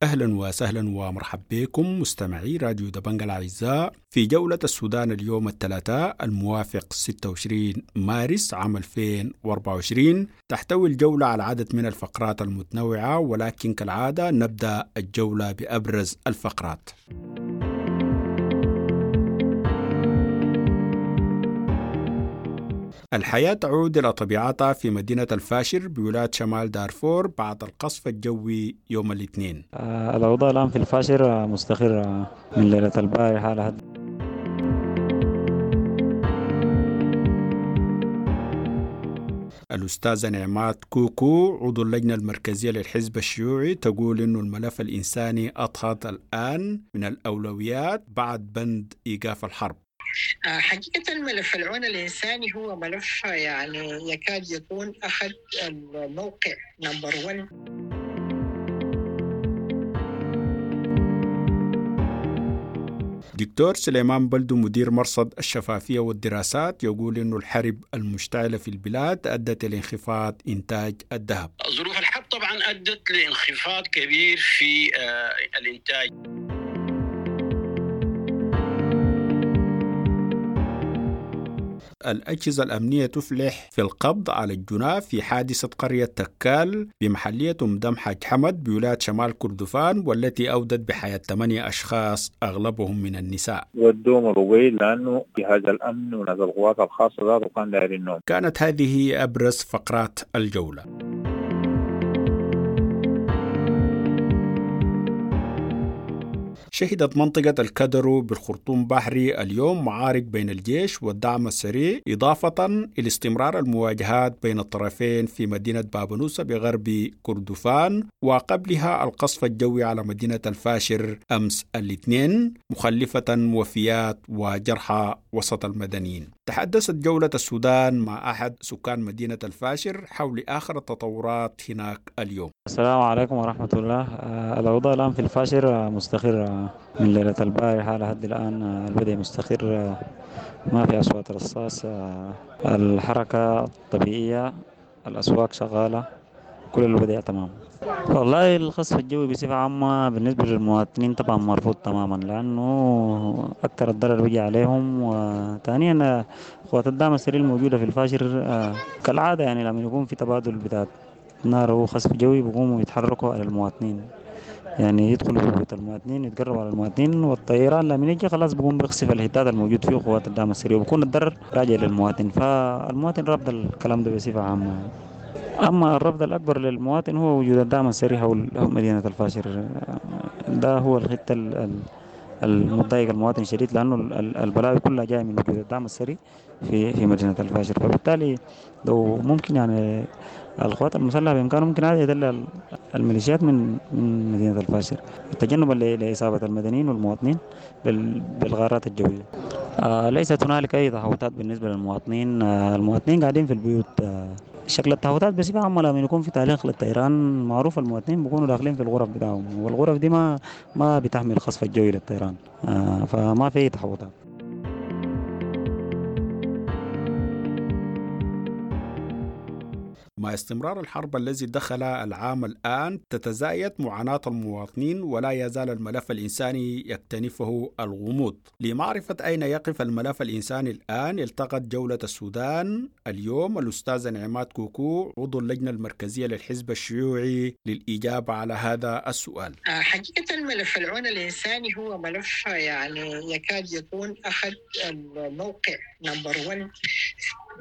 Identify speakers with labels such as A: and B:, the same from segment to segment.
A: أهلا وسهلا ومرحبا بكم مستمعي راديو دبنجا الأعزاء في جولة السودان اليوم الثلاثاء الموافق 26 مارس عام 2024. تحتوي الجولة على عدد من الفقرات المتنوعة، ولكن كالعادة نبدأ الجولة بأبرز الفقرات. الحياة تعود إلى طبيعتها في مدينة الفاشر بولاية شمال دارفور بعد القصف الجوي يوم الاثنين.
B: الأوضاع الآن في الفاشر مستقرة من ليلة البارحة لحد.
A: الأستاذة نعمات كوكو عضو اللجنة المركزية للحزب الشيوعي تقول إنه الملف الإنساني أضحت الآن من الأولويات بعد بند إيقاف الحرب.
C: حقيقة ملف العون الإنساني هو ملف يعني يكاد يكون أخذ الموقع number 1.
A: دكتور سليمان بلدو مدير مرصد الشفافية والدراسات يقول إنه الحرب المشتعلة في البلاد أدت لانخفاض إنتاج الذهب.
D: ظروف الحرب طبعا أدت لانخفاض كبير في الإنتاج.
A: الأجهزة الأمنية تفلح في القبض على الجناة في حادثة قرية تكال بمحلية أم دم حاج حمد بولاية شمال كردفان، والتي أودت بحياة 8 أشخاص أغلبهم من النساء.
E: ودوهم الرويل لأنه جهاز الأمن وناس القوات الخاصة ذاته كان دايرين النوم.
A: كانت هذه أبرز فقرات الجولة. شهدت منطقة الكدرو بالخرطوم بحري اليوم معارك بين الجيش والدعم السريع، إضافة إلى استمرار المواجهات بين الطرفين في مدينة بابنوسة بغرب كردفان، وقبلها القصف الجوي على مدينة الفاشر أمس الاثنين مخلفة وفيات وجرحى وسط المدنيين. تحدثت جولة السودان مع أحد سكان مدينة الفاشر حول آخر التطورات هناك اليوم.
B: السلام عليكم ورحمة الله. الأوضاع الآن في الفاشر مستقرة من ليلة البارحة لحد الآن، الوضع مستقر، ما في أصوات رصاص، الحركة طبيعية، الأسواق شغالة، كل الوضع تمام. والله القصف الجوي بصفة عامة بالنسبة للمواطنين طبعا مرفوض تماما، لأنه أكثر الضرر بيجي عليهم. وثانيا قوات الدعم السريع الموجودة في الفاشر كالعادة يعني لما يكون في تبادل بتاع نار وخصف جوي بيقوموا يتحركوا على المواطنين، يعني يدخلوا في بيوت المواطنين، يتقربوا على المواطنين، والطيران لما يجي خلاص بيقوم بيقصف الهتاد الموجود فيه قوات الدعم السريع، وبيكون الضرر راجع للمواطن. فالمواطن رافض الكلام ده بصفة عامة. أما الرفض الأكبر للمواطن هو وجود الدعم السريع حول مدينة الفاشر، ده هو الحتة المضايق المواطن شديد، لأنه البلاوي كلها جاية من وجود الدعم السريع في مدينة الفاشر. فبالتالي لو ممكن يعني القوات المسلحة بإمكانه ممكن عادي يدل الميليشيات من مدينة الفاشر تجنبا لإصابة المدنيين والمواطنين بالغارات الجوية. ليست هنالك أي تحوطات بالنسبة للمواطنين، المواطنين قاعدين في البيوت. شكل التحوطات بصفة عامة لما يكون في تعليق للطيران معروف المواطنين بيكونوا داخلين في الغرف بتاعهم، والغرف دي ما بتحمل القصف الجوي للطيران، فما في تحوطات.
A: مع استمرار الحرب الذي دخل العام الآن تتزايد معاناة المواطنين، ولا يزال الملف الإنساني يكتنفه الغموض. لمعرفة أين يقف الملف الإنساني الآن التقت جولة السودان اليوم الأستاذة نعمات كوكو عضو اللجنة المركزية للحزب الشيوعي للإجابة على هذا السؤال.
C: حقيقة ملف العون الإنساني هو ملف يعني يكاد يكون أخذ الموقع number 1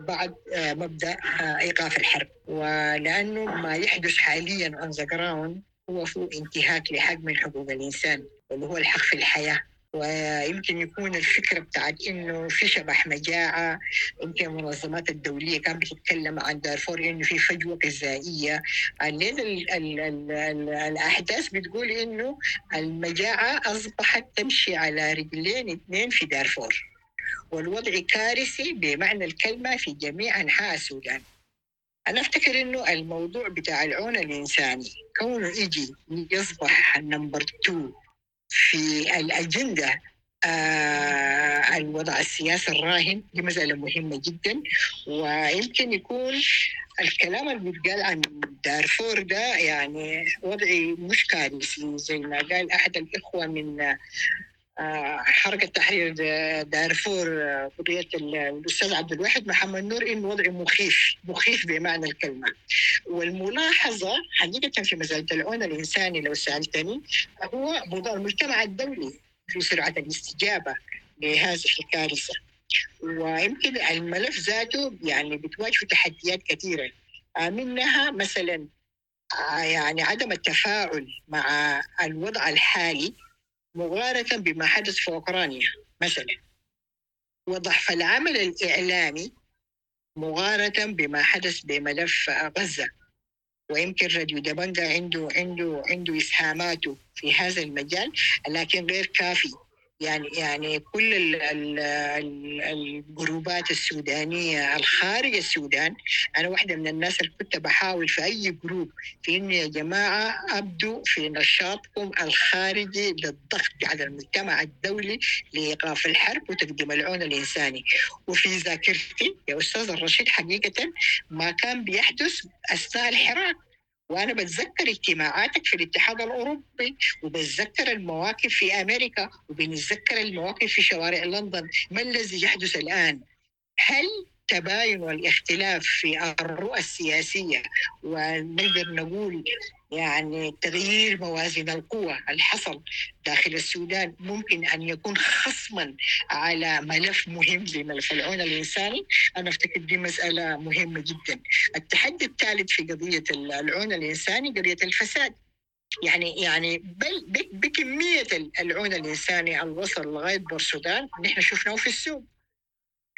C: بعد مبدأ إيقاف الحرب، ولأنه ما يحدث حاليا on the ground هو فيه انتهاك لحق من حقوق الإنسان واللي هو الحق في الحياة. ويمكن يكون الفكرة بتاعت إنه في شبح مجاعة، يمكن المنظمات الدولية كانت بتتكلم عن دارفور إنه في فجوة غذائية. الأحداث بتقول إنه المجاعة أصبحت تمشي على رجلين اثنين في دارفور، والوضع كارثي بمعنى الكلمة في جميع أنحاء السودان. أنا أفتكر إنه الموضوع بتاع العون الإنساني كونه يجي يصبح number 2 في الأجندة الوضع السياسي الراهن، دي مسألة مهمة جدا. ويمكن يكون الكلام اللي بيتقال عن دارفور ده يعني وضعي مش كارثي زي ما قال أحد الإخوة من حركة تحرير دارفور، قضية الأستاذ عبد الواحد محمد نور، إنه وضع مخيف مخيف بمعنى الكلمة. والملاحظة حقيقة في مسألة العون الإنساني لو سألتني هو موضوع المجتمع الدولي في سرعة الاستجابة لهذه الكارثة، ويمكن الملف ذاته يعني بتواجه تحديات كثيرة، منها مثلا يعني عدم التفاعل مع الوضع الحالي مقارنة بما حدث في أوكرانيا مثلا، وضعف العمل الإعلامي مقارنة بما حدث بملف غزة. ويمكن راديو دبنجا عنده إسهاماته في هذا المجال، لكن غير كافي. يعني كل الجروبات السودانية الخارج السودان، أنا واحدة من الناس اللي كنت بحاول في أي جروب في إنه يا جماعة أبدوا في نشاطكم الخارجي للضغط على المجتمع الدولي لإيقاف الحرب وتقديم العون الإنساني. وفي ذاكرتي يا أستاذ الرشيد حقيقة ما كان بيحدث أثناء الحراك، وأنا بتذكر اجتماعاتك في الاتحاد الأوروبي، وبتذكر المواقف في أمريكا، وبنتذكر المواقف في شوارع لندن. ما الذي يحدث الآن؟ هل تباين والاختلاف في الرؤى السياسية ونقدر نقول يعني تغيير موازين القوى اللي حصل داخل السودان ممكن أن يكون خصما على ملف مهم زي ملف العون الإنساني؟ أنا أفتكر دي مسألة مهمة جدا. التحدي الثالث في قضية العون الإنساني قضية الفساد، يعني بل بكمية العون الإنساني الوصل لغاية بورسودان نحن شفناه في السوق،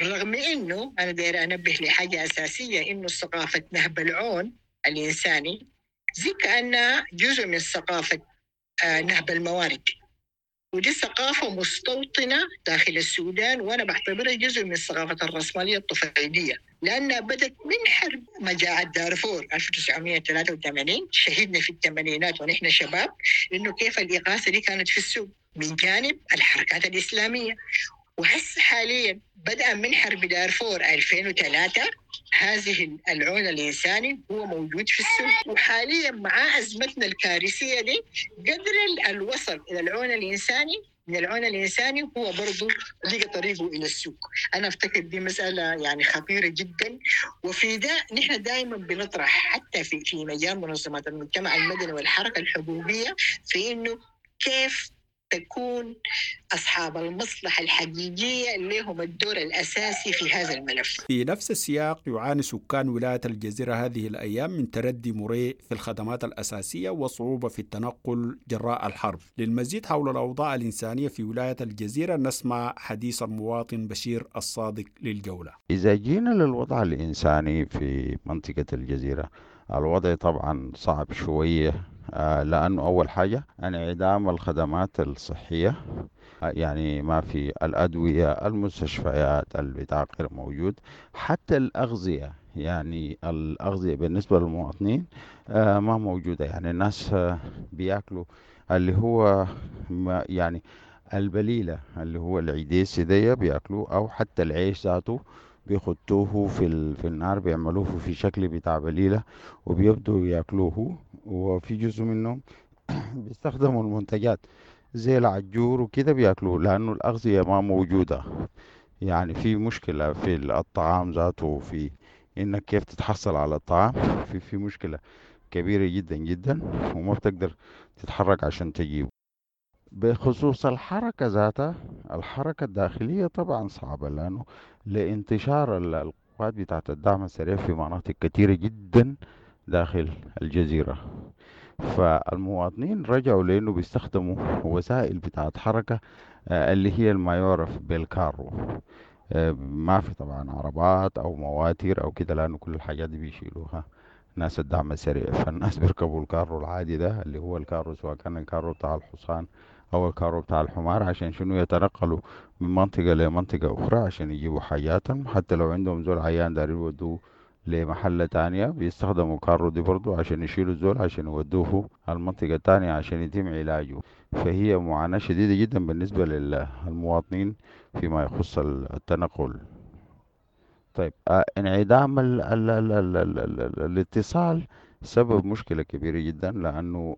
C: رغم إنه أنا داير أنبه لحاجة أساسية، إنه ثقافة نهب العون الإنساني زي كأنها جزء من ثقافة نهب الموارد، ودي ثقافة مستوطنة داخل السودان، وأنا بعتبرها جزء من ثقافة الرأسمالية الطفيلية، لأنها بدأت من حرب مجاعة دارفور 1983، شهدنا في الثمانينات ونحن شباب إنه كيف الإغاثة دي كانت في السوق من جانب الحركات الإسلامية. وهسه حاليا بدأ من حرب دارفور 2003 هذه العون الإنساني هو موجود في السوق، وحاليا مع أزمتنا الكارثية دي قدر الوصل إلى العون الإنساني من العون الإنساني هو برضو لقى طريقه إلى السوق. أنا أفتكر دي مسألة يعني خطيرة جدا، وفي ده نحن دائما بنطرح حتى في مجال منظمات المجتمع المدني والحركة الحقوقية في إنه كيف تكون أصحاب المصلحة الحقيقية لهم الدور الأساسي في هذا الملف.
A: في نفس السياق يعاني سكان ولاية الجزيرة هذه الأيام من تردي مريء في الخدمات الأساسية وصعوبة في التنقل جراء الحرب. للمزيد حول الأوضاع الإنسانية في ولاية الجزيرة نسمع حديث المواطن بشير الصادق للجولة.
F: إذا جينا للوضع الإنساني في منطقة الجزيرة، الوضع طبعا صعب شوية، لأنه أول حاجة انعدام الخدمات الصحية، يعني ما في الأدوية، المستشفيات، البتاع غير موجود، حتى الأغذية، يعني الأغذية بالنسبة للمواطنين ما موجودة. يعني الناس بياكلوا اللي هو يعني البليلة اللي هو العديس دي بياكلوه، أو حتى العيش ذاته بيخطوه في النار، بيعملوه في شكل بتاع بليلة وبيبدوا ياكلوه. وفي جزء منهم بيستخدموا المنتجات زي العجور وكده بياكلوه، لأنه الأغذية ما موجودة. يعني في مشكلة في الطعام ذاته، في إنك كيف تتحصل على الطعام، في مشكلة كبيرة جدا جدا، وما بتقدر تتحرك عشان تجيبه. بخصوص الحركة ذاتها، الحركة الداخلية طبعا صعبة، لأنه لانتشار القوات بتاعت الدعم السريع في مناطق كثيرة جدا داخل الجزيرة، فالمواطنين رجعوا لأنه بيستخدموا وسائل بتاعت حركة اللي هي ما يعرف بالكارو. ما في طبعا عربات أو مواتير أو كده، لأنه كل الحاجات دي بيشيلوها ناس الدعم السريع. فالناس بيركبوا الكارو العادي ده اللي هو الكارو، سواء كان الكارو بتاع الحصان أو الكارو بتاع الحمار، عشان شنو يتنقلوا من منطقة لمنطقة أخرى عشان يجيبوا حاجاتهم. حتى لو عندهم زول عيان دارين يودوه لمحلة تانية بيستخدموا الكارو دي برضو عشان يشيلوا الزول عشان يودوه المنطقة التانية عشان يتم علاجه. فهي معاناة شديدة جدا بالنسبة للمواطنين فيما يخص التنقل. طيب، انعدام ال ال ال ال ال ال ال الاتصال سبب مشكلة كبيرة جدا، لأنه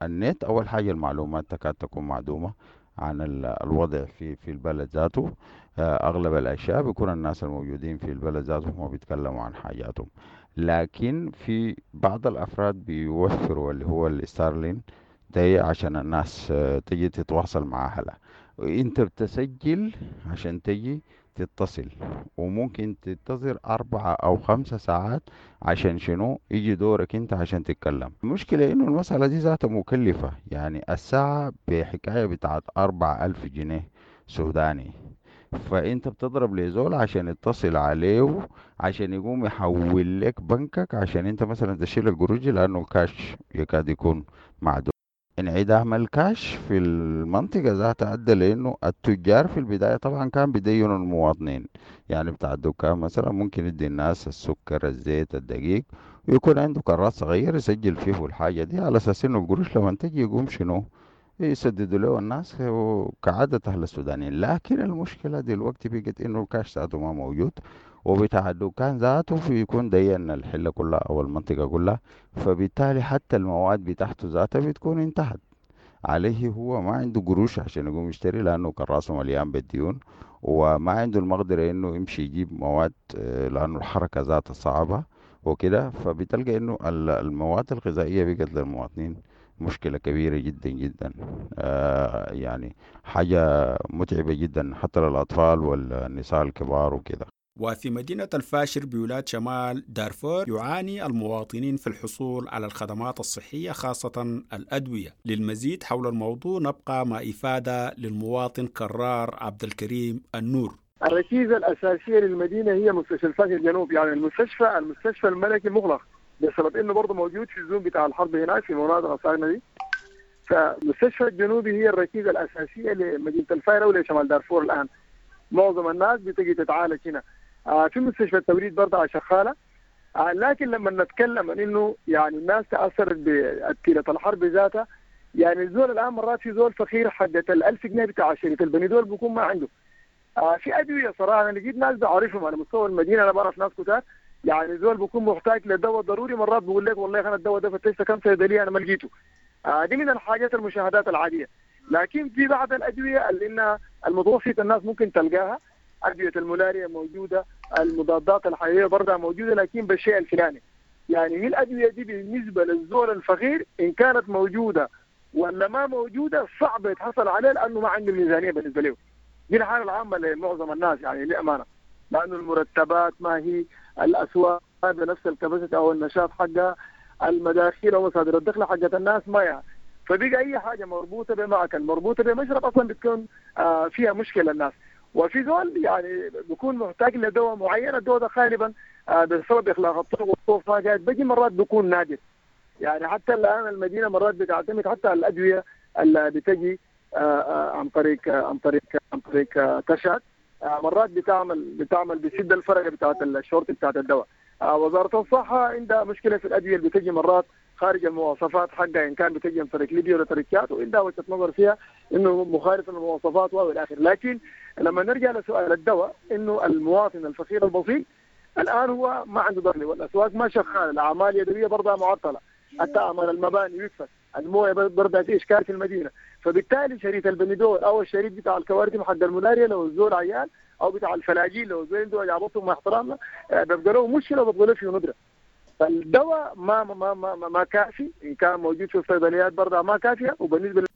F: النت أول حاجة المعلومات تكاد تكون معدومة عن الوضع في البلد ذاته. أغلب الأشياء بيكون الناس الموجودين في البلد ذاتهم هم بيتكلموا عن حاجاتهم، لكن في بعض الأفراد بيوفروا اللي هو الستارلين ده عشان الناس تجي تتواصل مع أهلها. وانت بتسجل عشان تجي تتصل، وممكن تنتظر 4 أو 5 ساعات عشان شنو يجي دورك انت عشان تتكلم. المشكلة انه المسألة دي ذاتها مكلفة، يعني الساعة بحكاية بتاعت 4000 جنيه سوداني، فانت بتضرب لزول عشان يتصل عليه عشان يقوم يحول لك بنكك عشان انت مثلا تشيل القروش، لانه الكاش يكاد يكون معدوم. انعدام الكاش في المنطقة ذاتها أدى لأنه التجار في البداية طبعا كان بيدينوا المواطنين، يعني بتاع الدكان مثلا ممكن يدي الناس السكر الزيت الدقيق، ويكون عنده كراس صغير يسجل فيه الحاجة دي على أساس إنه القروش لما تجي يقوم شنو يسددوا له الناس كعادة أهل السودانيين. لكن المشكلة دلوقتي بقت إنه الكاش ذاته ما موجود، وبتاع الدكان ذاته بيكون دين الحلة كلها أو المنطقة كلها، فبالتالي حتى المواد بتاعته ذاتها بتكون انتهت عليه، هو ما عنده قروش عشان يقوم يشتري لأنه كراسه مليان بالديون، وما عنده المقدرة إنه يمشي يجيب مواد لأنه الحركة ذاتها صعبة وكده. فبتلقى إنه المواد الغذائية بقت للمواطنين مشكلة كبيرة جدا جدا، يعني حاجة متعبة جدا حتى للأطفال والنساء الكبار وكده.
A: وفي مدينة الفاشر بولاية شمال دارفور يعاني المواطنين في الحصول على الخدمات الصحية خاصة الأدوية. للمزيد حول الموضوع نبقى مع إفادة للمواطن كرار عبد الكريم النور.
G: الركيزة الأساسية للمدينة هي مستشفى الفاشر الجنوب، يعني المستشفى الملكي مغلق بسبب إنه برضه موجود في الزون بتاع الحرب هناك في مناطق الصاغنة دي. فمستشفى الجنوبي هي الركيزة الأساسية لمدينة الفاشر ولشمال دارفور. الآن معظم الناس بتجي تتعالج هنا. في مستشفى التوريد برضه شغالة، لكن لما نتكلم عن انه يعني الناس تاثرت بتيره الحرب ذاتها، يعني الزول الان مرات في زول فقير حقت ال1000 جنيه بتاع شريط البنيدول بيكون ما عنده. في ادوية صراحة انا لقيت ناس بعرفهم على مستوى المدينة، انا بعرف ناس كتار، يعني زول بيكون محتاج لدواء ضروري مرات بيقول لك والله انا الدواء ده فتشت كم صيدلية انا ما لقيته. دي من الحاجات المشاهدات العادية. لكن في بعض الادوية اللي انها المتوسط الناس ممكن تلقاها، أدوية الملاريا موجودة، المضادات الحيوية برضها موجودة، لكن بالشيء الفلاني. يعني هي الأدوية دي بالنسبة للزول الفقير إن كانت موجودة ولا ما موجودة صعب يتحصل عليها لأنه ما عنده ميزانية بالنسبة له. دي الحالة العامة لمعظم الناس يعني للأمانة، لأنه المرتبات ما هي، الأسواق بنفس الكباسة أو النشاط حقها، المداخيل ومصادر الدخل حقت الناس ما يعني. فبقى أي حاجة مربوطة بمأكل مربوطة بمشرب أصلا بتكون فيها مشكلة الناس. وفي زول يعني بيكون محتاج لدواء معين، الدواء ده غالبا بسبب اخلاق الطرق والطرق ما قاعد بيجي مرات بيكون نادر. يعني حتى الان المدينة مرات بتعتمد حتى على الادوية اللي بتجي عن طريق عن طريق عن طريق تشاد، مرات بتعمل بتسد الفرقة بتاعت الشورت بتاعت الدواء. وزارة الصحة عندها مشكلة في الادوية اللي بتجي مرات خارج المواصفات حقها، ان كان بتجي من طريق ليبيا ولا طريق تشاد، وعندها وجهه نظر فيها انه مخالف للمواصفات والى اخره. لكن لما نرجع لسؤال الدواء، انه المواطن الفقير البسيط الان هو ما عنده دخل، والاسواق ما شغالة، الاعمال اليدوية برضها معطلة، حتى اعمال المباني وقفت، المويه برضها في اشكال في المدينة. فبالتالي شريط البنيدول او الشريط بتاع الكوارث حق الملاريا لو الزول عيان، او بتاع الفلاجيل لو الزول عنده وجع بطن مع احترامنا بيبقى له مشكلة وبيبقى له فيه ندره. فالدواء ما ما ما ما, ما كافي، ان كان موجود في الصيدليات برضه ما كافيه. وبالنسبة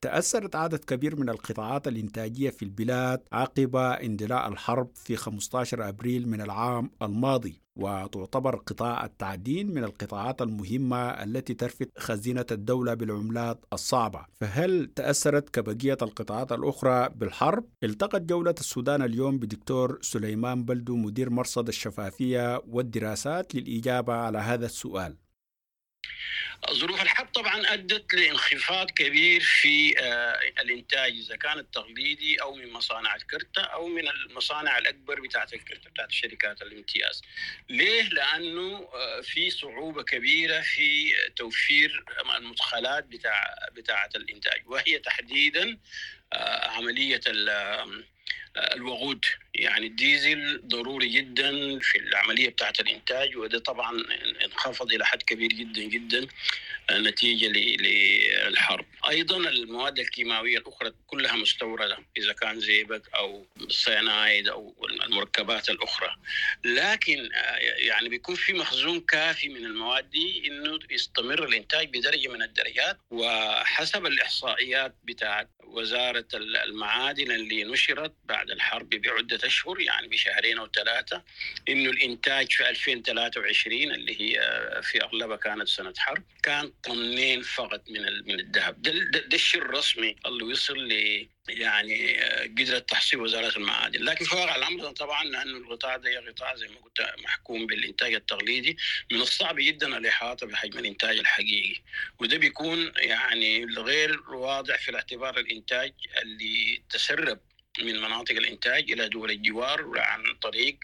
A: تأثرت عدد كبير من القطاعات الإنتاجية في البلاد عقب اندلاع الحرب في 15 أبريل من العام الماضي، وتعتبر قطاع التعدين من القطاعات المهمة التي ترفد خزينة الدولة بالعملات الصعبة. فهل تأثرت كبقية القطاعات الأخرى بالحرب؟ التقت جولة السودان اليوم بدكتور سليمان بلدو مدير مرصد الشفافية والدراسات للإجابة على هذا السؤال.
D: ظروف الحرب طبعا ادت لانخفاض كبير في الانتاج، اذا كان التقليدي او من مصانع الكرتة او من المصانع الاكبر بتاعت الكرتة بتاعت شركات الامتياز. ليه؟ لانه في صعوبة كبيرة في توفير المدخلات بتاعه الانتاج، وهي تحديدا عملية الوقود. يعني الديزل ضروري جدا في العملية بتاعت الإنتاج، وده طبعا انخفض إلى حد كبير جدا جدا نتيجة للحرب. أيضا المواد الكيماوية الأخرى كلها مستوردة، إذا كان زئبق أو سيانايد أو المركبات الأخرى، لكن يعني بيكون في مخزون كافي من المواد دي إنه يستمر الإنتاج بدرجة من الدرجات. وحسب الإحصائيات بتاعت وزارة المعادن اللي نشرت بعد الحرب بعدة أشهر، يعني بشهرين أو ثلاثة، إنه الإنتاج في 2023 اللي هي في أغلبها كانت سنة حرب كان طنين فقط من الذهب. ده الشيء الرسمي اللي وصل ل يعني قدرت تحصيل وزارة المعادن. لكن في واقع الأمر طبعا لأنه القطاع ده قطاع زي ما قلت محكوم بالإنتاج التقليدي، من الصعب جدا الإحاطة بحجم الإنتاج الحقيقي، وده بيكون يعني غير واضح في الاعتبار الإنتاج اللي تسرب من مناطق الإنتاج إلى دول الجوار عن طريق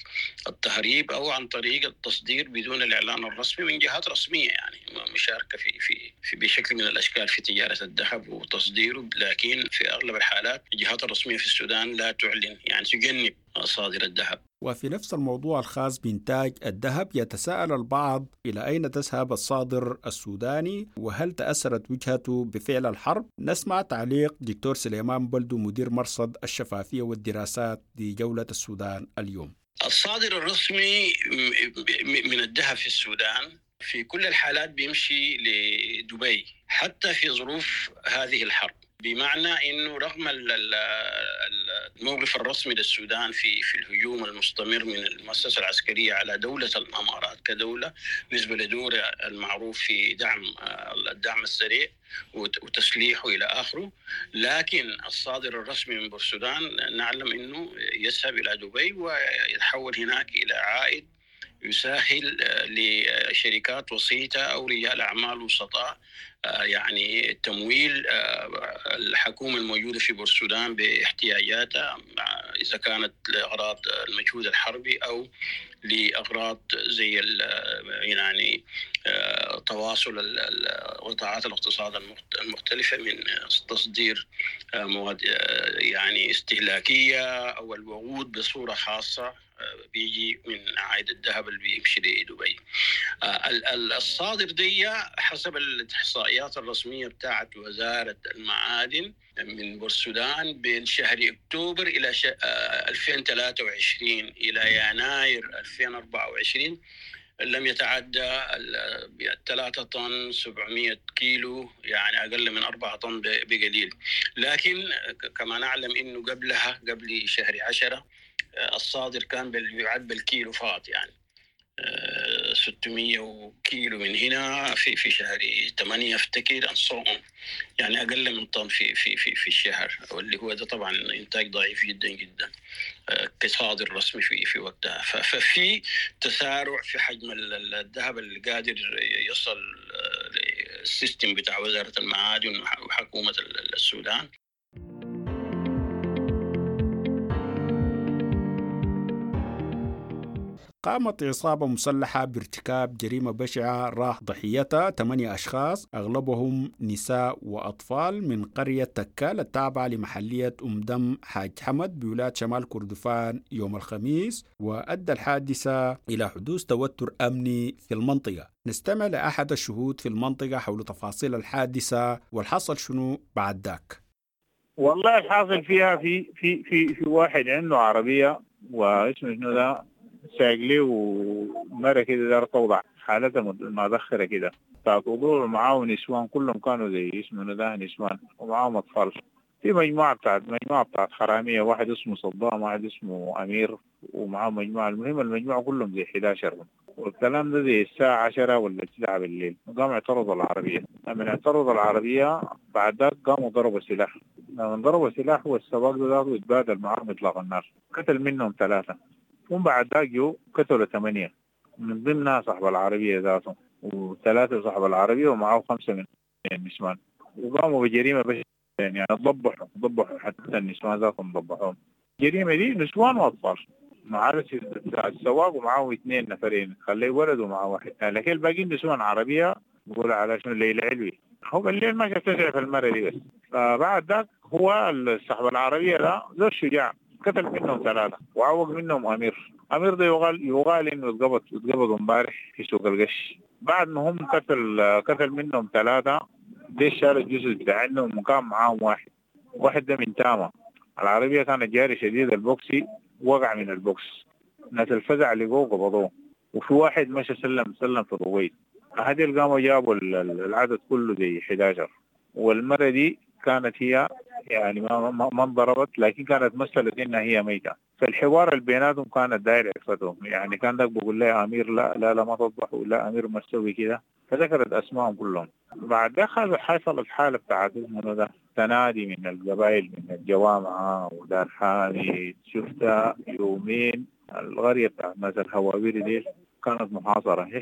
D: التهريب أو عن طريق التصدير بدون الإعلان الرسمي من جهات رسمية، يعني مشاركة في في في بشكل من الأشكال في تجارة الذهب وتصديره. لكن في أغلب الحالات الجهات الرسمية في السودان لا تعلن، يعني تجنب صادر الذهب.
A: وفي نفس الموضوع الخاص بإنتاج الذهب يتساءل البعض إلى أين تذهب الصادر السوداني، وهل تأثرت وجهته بفعل الحرب؟ نسمع تعليق دكتور سليمان بلدو مدير مرصد الشفافية والدراسات لجولة السودان اليوم.
D: الصادر الرسمي من الذهب في السودان في كل الحالات بيمشي لدبي حتى في ظروف هذه الحرب، بمعنى انه رغم الموقف الرسمي للسودان في الهجوم المستمر من المؤسسة العسكرية على دولة الامارات كدولة بالنسبة لدوره المعروف في دعم الدعم السريع وتسليحه الى اخره، لكن الصادر الرسمي من بورسودان نعلم انه يذهب الى دبي ويتحول هناك الى عائد يسهل لشركات وسيطة أو رجال أعمال وسطاء يعني تمويل الحكومة الموجودة في بورسودان باحتياجاتها، إذا كانت لأغراض المجهود الحربي أو لأغراض زي يعني تواصل قطاعات الاقتصاد المختلفة من تصدير مواد يعني استهلاكية أو الوقود بصورة خاصة بيجي من عائد الذهب اللي بيمشي لدبي. الصادر دي حسب الإحصائيات الرسمية بتاعت وزارة المعادن من بورسودان بين شهر أكتوبر إلى 2023 إلى يناير 2024 لم يتعدى 3 طن 700 كيلو، يعني أقل من 4 طن بقليل. لكن كما نعلم إنه قبلها قبل شهر 10 الصادر كان يعد بالكيلو فقط، يعني 600 كيلو من هنا في شهر 8 افتكر انصهم، يعني اقل من طن في في في في الشهر، واللي هو ده طبعا انتاج ضعيف جدا جدا كصادر رسمي في وقتها. ففي تسارع في حجم الذهب اللي قادر يصل لل system بتاع وزارة المعادن وحكومة السودان.
A: قامت عصابة مسلحة بارتكاب جريمة بشعة راح ضحيتها 8 أشخاص أغلبهم نساء وأطفال من قرية تكال التابعة لمحلية أم دم حاج حمد بولاية شمال كردفان يوم الخميس، وأدى الحادثة إلى حدوث توتر أمني في المنطقة. نستمع لأحد الشهود في المنطقة حول تفاصيل الحادثة والحصل شنو بعد ذاك.
E: والله الحاصل فيها في في في في واحد عنده عربية واسمه شنو ده سايق لي ومرة كده دار توضع حالتها مدخرة كده بتاعت وضوع، ومعاه نسوان كلهم كانوا زي اسمه ده نسوان ومعاهم أطفال. في مجموعة بتاعت حرامية، واحد اسمه صدام واحد اسمه أمير ومعاه مجموعة. المهم المجموعة كلهم زي 11 والكلام ده زي الساعة 10 ولا 9 بالليل. قام اعترضوا العربية، لما اعترضوا العربية بعد ذاك قاموا ضربوا سلاح. لما ضربوا سلاح والسواق ده ذاته اتبادل معاهم إطلاق النار، قتل منهم 3، ومن بعد ذاك جو قتلوا 8 من ضمنها صاحب العربية ذاته. و3 صاحب العربية ومعه 5 من النسوان، وقاموا بجريمة بس يعني ضبحوا حتى النسوان ذاتهم ضبحوهم. الجريمة دي نسوان وأطفال، مع السواق ومعه 2 نفرين، خليه ولد ومعه واحد، لكن الباقيين نسوان. عربية بقول على شنو ليلى علوي، هو بالليل ما شاف في المرة دي بس. فبعد ذاك هو صاحب العربية ده زول شجاع، قتل منهم 3 وعوق منهم أمير. أمير ده يقال إنه اتقبض امبارح في سوق القش. بعد ما هم قتل منهم 3، دي شال الجثث بتاعهم وكان معاهم واحد ده من تاما. العربية كانت جاري شديد، البوكسي وقع من البوكس، ناس الفزع لقوه قبضوه، وفي واحد مشى سلم في الرويد. هذه قاموا جابوا العدد كله زي 11. والمرة دي كانت هي يعني ما انضربت، لكن كانت مثلت انها هي ميتة. فالحوار اللي بيناتهم كانت داير عفتهم، يعني كان ذاك بقول لها امير لا لا لا ما تضبحوا، لا امير ما تسوي كده، فذكرت اسمائهم كلهم. بعد ده حصلت حالة بتاعت اسمه ده تنادي من القبائل من الجوامعة ودار حامد. شفتها يومين القرية بتاعت ناس الهواوير دي كانت محاصرة، هي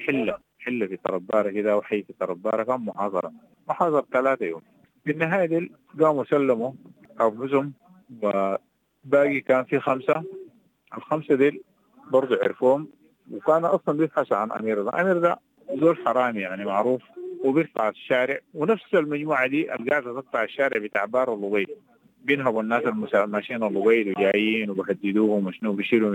E: حلة في تربارة كده وحي في تربارة، كان محاصرة 3 يوم. في النهاية دي قاموا سلموا أنفسهم، وباقي كان في 5. ال5 دي برضو عرفوهم، وكان أصلا بيبحثوا عن أمير ده. أمير ده زول حرامي يعني معروف، وبيقطع الشارع، ونفس المجموعة دي القاعدة تقطع الشارع بتاع بار اللبيد، بينهبوا الناس الماشيين اللبيد وجايين وبهددوهم وشنو، بيشيلوا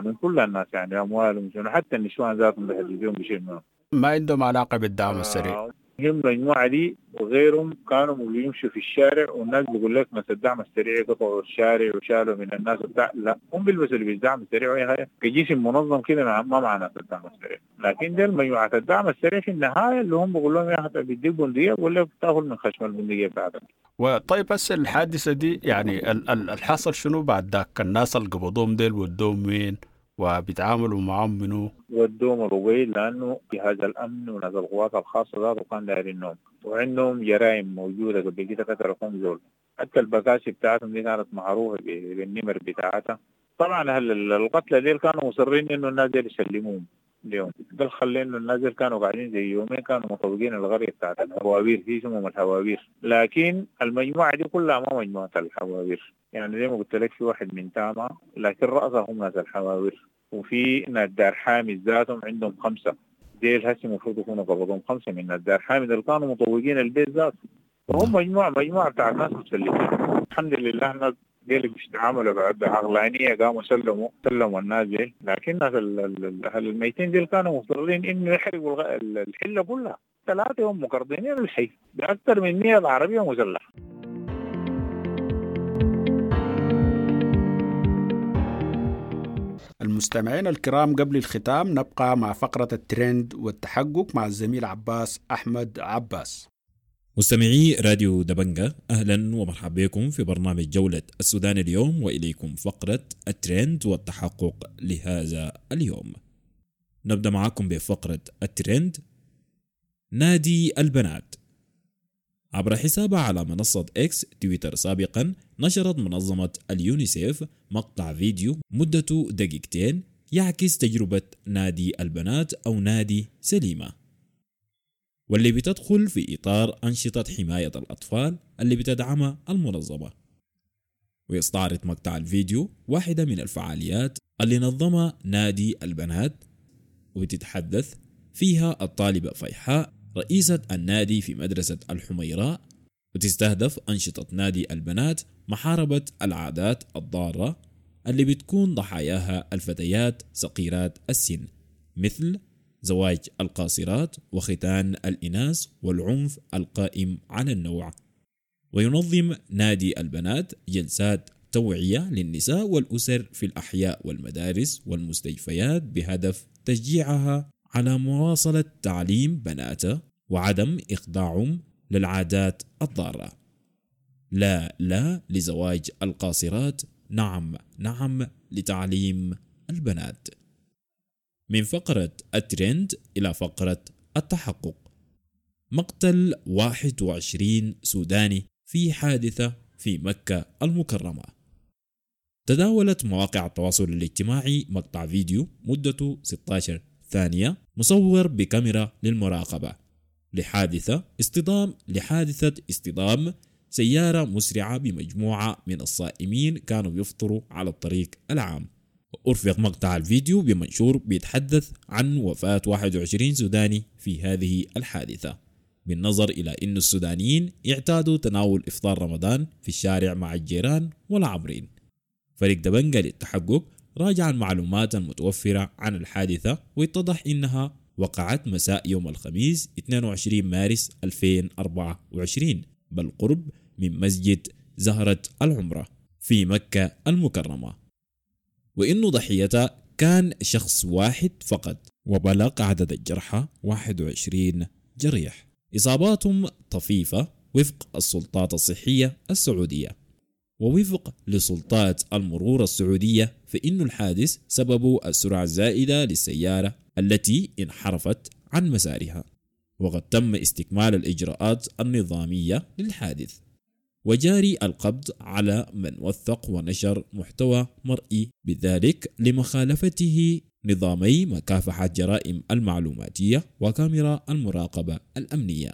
E: من كل الناس يعني أموالهم وشنو، حتى النسوان ذاتهم بيهددوهم بيشيلوا منهم.
A: ما عندهم علاقة بالدعم السريع.
E: هم المجموعة دي وغيرهم كانوا بيمشوا في الشارع، والناس بيقول لك مثلا الدعم السريع قطعوا الشارع وشالوا من الناس بتاع، لا هم بيلبسوا اللي بالدعم السريع وهي كجسم منظم كده ما مع ناس الدعم السريع. لكن دي مجموعة الدعم السريع في النهاية اللي هم بيقول لهم يا أخي بيديك بندقية، بيقول لك تاخذ من خشم البندقية بتاعتك.
A: وطيب بس الحادثة دي يعني الحصل شنو بعد ذاك؟ الناس اللي قبضوهم ديل ودوهم وين؟ وبيتعاملوا معهم منو؟
E: ودوهم الرويل، لأنه جهاز الأمن وناس القوات الخاصة ذاته كان دايرينهم، وعندهم جرائم موجودة قبل كده قتلوا كم زول، حتى البكاسي بتاعتهم دي كانت معروفة بالنمر بتاعتها. طبعا القتلى ديل كانوا مصرين إنه الناس ديل يسلموهم اليوم، ده خلى إنه الناس ديل كانوا قاعدين زي يومين كانوا مطوقين القرية بتاعت الهواوير، في اسمهم الهواوير، لكن المجموعة دي كلها ما مجموعة الحواوير، يعني زي ما قلت لك في واحد من تاما لكن رأسهم ناس الحواوير، وفي ناس دار حامد ذاتهم عندهم 5 ديل هسه المفروض يكونوا قبضهم 5 من ناس دار حامد اللي كانوا مطوقين البيت ذاته. فهم مجموعة بتاعت ناس مسلمين. الحمد لله الناس ديل بيتعاملوا بعقلانية، قاموا سلموا الناس ديل، لكن الناس الميتين ديل كانوا مصرين انه يحرقوا الحلة كلها. 3 يوم مقرضين الحي بأكثر من 100 عربية مسلحة.
A: المستمعين الكرام، قبل الختام نبقى مع فقرة الترند والتحقق مع الزميل عباس أحمد عباس.
H: مستمعي راديو دبنجة، أهلا ومرحبا بكم في برنامج جولة السودان اليوم، وإليكم فقرة الترند والتحقق لهذا اليوم. نبدأ معكم بفقرة الترند. نادي البنات. عبر حسابها على منصة إكس تويتر سابقا، نشرت منظمة اليونيسيف مقطع فيديو مدته دقيقتين يعكس تجربة نادي البنات أو نادي سليمة، واللي بتدخل في إطار أنشطة حماية الأطفال اللي بتدعمها المنظمة. ويستعرض مقطع الفيديو واحدة من الفعاليات اللي نظمها نادي البنات، وبتتحدث فيها الطالبة فيحاء رئيسة النادي في مدرسة الحميراء، وتستهدف أنشطة نادي البنات محاربة العادات الضارة اللي بتكون ضحاياها الفتيات صغيرات السن، مثل زواج القاصرات وختان الإناث والعنف القائم على النوع. وينظم نادي البنات جلسات توعية للنساء والأسر في الأحياء والمدارس والمستشفيات بهدف تشجيعها على مواصلة تعليم بناته وعدم إخضاعهم للعادات الضارة. لا لا لزواج القاصرات، نعم نعم لتعليم البنات. من فقرة الترند إلى فقرة التحقق. مقتل 21 سوداني في حادثة في مكة المكرمة. تداولت مواقع التواصل الاجتماعي مقطع فيديو مدته 16 ثانية مصور بكاميرا للمراقبة لحادثة اصطدام سيارة مسرعة بمجموعة من الصائمين كانوا بيفطروا على الطريق العام. أرفق مقطع الفيديو بمنشور بيتحدث عن وفاة 21 سوداني في هذه الحادثة، بالنظر إلى أن السودانيين اعتادوا تناول إفطار رمضان في الشارع مع الجيران والعابرين. فريق دبنجة للتحقق راجع المعلومات المتوفرة عن الحادثة، واتضح إنها وقعت مساء يوم الخميس 22 مارس 2024 بالقرب من مسجد زهرة العمرة في مكة المكرمة، وإنه ضحيتها كان شخص واحد فقط، وبلغ عدد الجرحى 21 جريح، إصاباتهم طفيفة وفق السلطات الصحية السعودية. ووفق لسلطات المرور السعودية فإن الحادث سببه السرعة الزائدة للسيارة التي انحرفت عن مسارها، وقد تم استكمال الإجراءات النظامية للحادث، وجاري القبض على من وثق ونشر محتوى مرئي بذلك لمخالفته نظامي مكافحة جرائم المعلوماتية وكاميرا المراقبة الأمنية،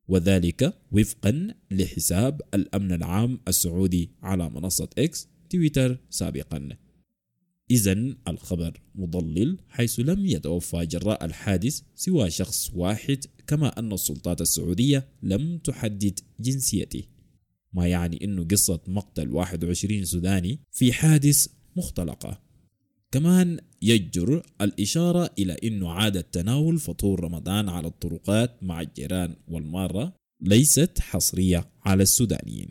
H: وذلك وفقا لحساب الأمن العام السعودي على منصة إكس تويتر سابقا. إذن الخبر مضلل، حيث لم يتوفى جراء الحادث سوى شخص واحد، كما أن السلطات السعودية لم تحدد جنسيته، ما يعني أنه قصة مقتل 21 سوداني في حادث مختلقة. كمان يجر الإشارة إلى أنه عادة تناول فطور رمضان على الطرقات مع الجيران والمارة ليست حصرية على السودانيين،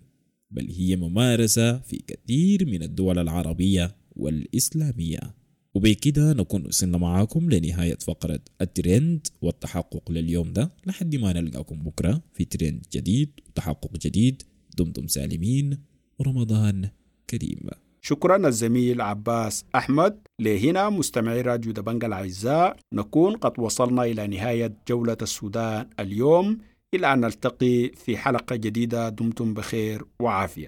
H: بل هي ممارسة في كثير من الدول العربية والإسلامية. وبكده نكون وصلنا معاكم لنهاية فقرة الترند والتحقق لليوم ده، لحد ما نلقاكم بكرة في ترند جديد وتحقق جديد. دمتم سالمين ورمضان كريم.
A: شكرا الزميل عباس أحمد. لهنا مستمعي راديو دبنجة الأعزاء نكون قد وصلنا إلى نهاية جولة السودان اليوم. إلى أن نلتقي في حلقة جديدة، دمتم بخير وعافية.